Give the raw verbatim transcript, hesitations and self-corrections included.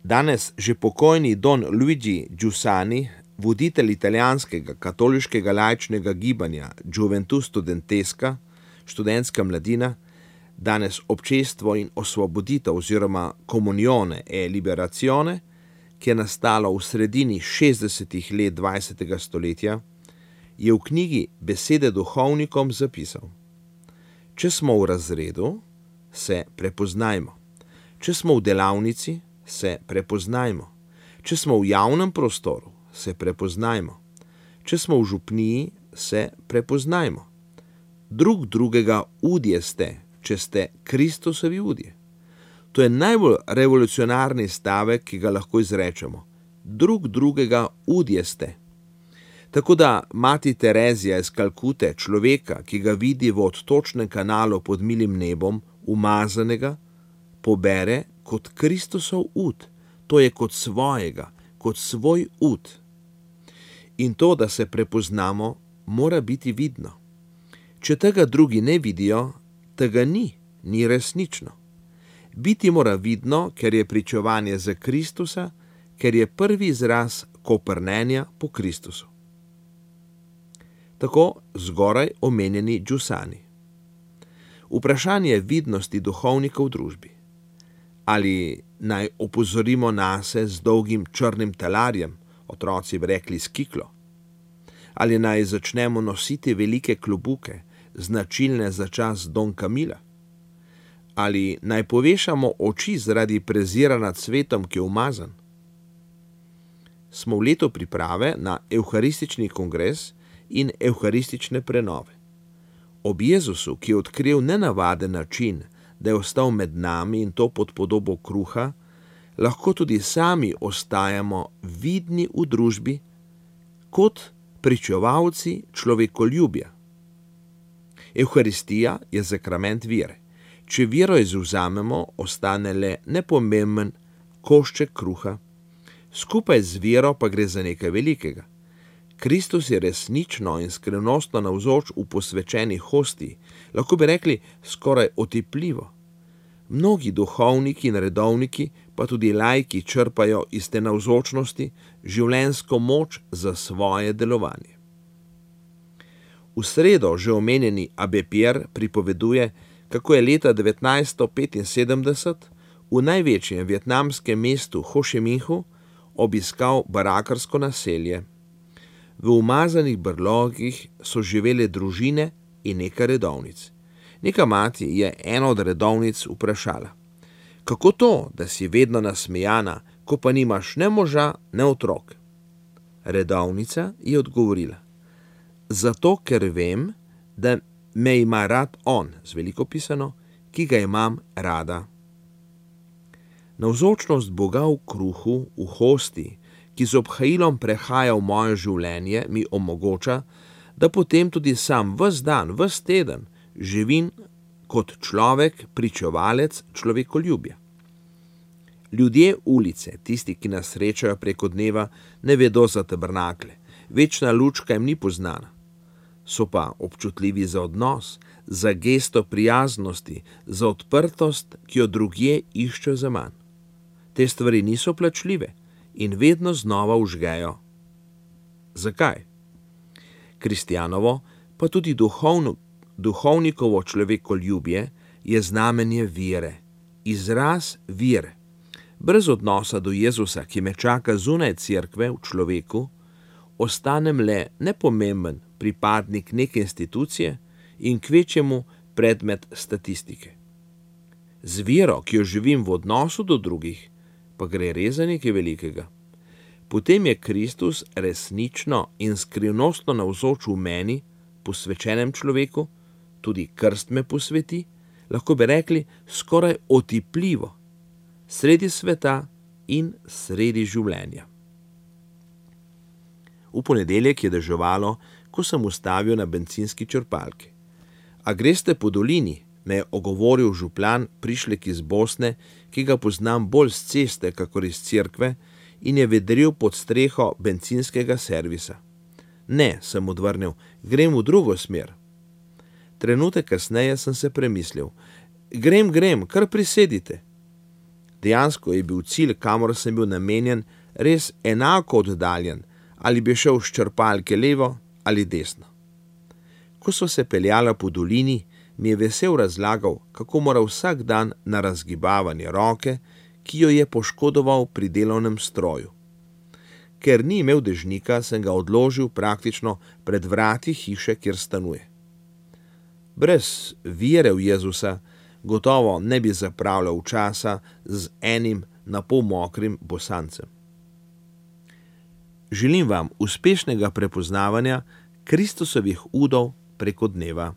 Danes že pokojni Don Luigi Giussani, voditelj italijanskega katoliškega laičnega gibanja Gioventù Studentesca, študentska mladina, danes občestvo in osvoboditev oziroma Comunione e Liberazione, ki je nastalo v sredini šestdesetih let dvajsetega stoletja, je v knjigi Besede duhovnikom zapisal: če smo v razredu, se prepoznajmo. Če smo v delavnici, se prepoznajmo. Če smo v javnem prostoru, se prepoznajmo. Če smo v župniji, se prepoznajmo. Drug drugega udje ste, če ste Kristusovi udje. To je najbolj revolucionarni stavek, ki ga lahko izrečemo. Drug drugega udje ste. Tako da mati Terezija iz Kalkute človeka, ki ga vidi v odtočnem kanalu pod milim nebom, umazanega, pobere kot Kristusov ud, to je kot svojega, kot svoj ud. In to, da se prepoznamo, mora biti vidno. Če tega drugi ne vidijo, tega ni, ni resnično. Biti mora vidno, ker je pričevanje za Kristusa, ker je prvi izraz koprnenja po Kristusu. Tako zgoraj omenjeni Giussani. Vprašanje vidnosti duhovnika v družbi. Ali naj opozorimo nase z dolgim črnim talarjem, otroci bi rekli s kiklo? Ali naj začnemo nositi velike klobuke, značilne za čas Don Camila? Ali naj povešamo oči zaradi prezira nad svetom, ki je umazan? Smo v letu priprave na evharistični kongres in evharistične prenove. Ob Jezusu, ki je odkril nenavaden način, da je ostal med nami in to pod podobo kruha, lahko tudi sami ostajamo vidni v družbi kot pričevalci človekoljubja. Evharistija je sakrament vere. Če vero izvzamemo, ostane le nepomemben košček kruha, skupaj z vero pa gre za nekaj velikega. Kristus je resnično in skrivnostno navzoč v posvečeni hostiji, lahko bi rekli skoraj otipljivo. Mnogi duhovniki in redovniki, pa tudi laiki, črpajo iz te navzočnosti življenjsko moč za svoje delovanje. V sredo že omenjeni Abbé Pierre pripoveduje, kako je leta devetnajststo petinsedemdeset v največjem vietnamskem mestu Ho Chi Minhu obiskal barakarsko naselje. V umazanih brlogih so živele družine in nekaj redovnic. Neka mati je eno od redovnic vprašala: kako to, da si vedno nasmejana, ko pa nimaš ne moža, ne otrok? Redovnica je odgovorila: zato, ker vem, da me ima rad on, z veliko pisano, ki ga imam rada. Navzočnost Boga v kruhu, v hosti, ki z obhajilom prehaja v moje življenje, mi omogoča, da potem tudi sam ves dan, ves teden živim kot človek, pričevalec človekoljubja. Ljudje ulice, tisti, ki nas srečajo preko dneva, ne vedo za tabernakle, večna lučka jim ni poznana. So pa občutljivi za odnos, za gesto prijaznosti, za odprtost, ki jo drugje iščejo za manj. Te stvari niso plačljive in vedno znova užgejo. Zakaj? Kristjanovo, pa tudi duhovno, duhovnikovo človekoljubje je znamenje vere, izraz vere. Brez odnosa do Jezusa, ki me čaka zunaj cerkve v človeku, ostanem le nepomemben pripadnik neke institucije in kvečjemu predmet statistike. Z vero, ki jo živim v odnosu do drugih, pa gre res za nekaj velikega. Potem je Kristus resnično in skrivnostno navzoč v meni, posvečenem človeku, tudi krst me posveti, lahko bi rekli skoraj otipljivo, sredi sveta in sredi življenja. V ponedeljek je deževalo, ko sem ustavil na bencinski črpalki. A greste po dolini, me je ogovoril župan, prišlek iz Bosne, ki ga poznam bolj z ceste, kakor iz cerkve, in je vedril pod streho bencinskega servisa. Ne, sem odvrnil, grem v drugo smer. Trenutek kasneje sem se premislil. Grem, grem, kar prisedite. Dejansko je bil cilj, kamor sem bil namenjen, res enako oddaljen, ali bi šel s črpalke levo ali desno. Ko so se peljala po dolini, mi je vesel razlagal, kako mora vsak dan na razgibavanje roke, ki jo je poškodoval pri delovnem stroju. Ker ni imel dežnika, sem ga odložil praktično pred vrati hiše, kjer stanuje. Brez vere v Jezusa gotovo ne bi zapravljal časa z enim napol mokrim bosancem. Želim vam uspešnega prepoznavanja Kristusovih udov preko dneva.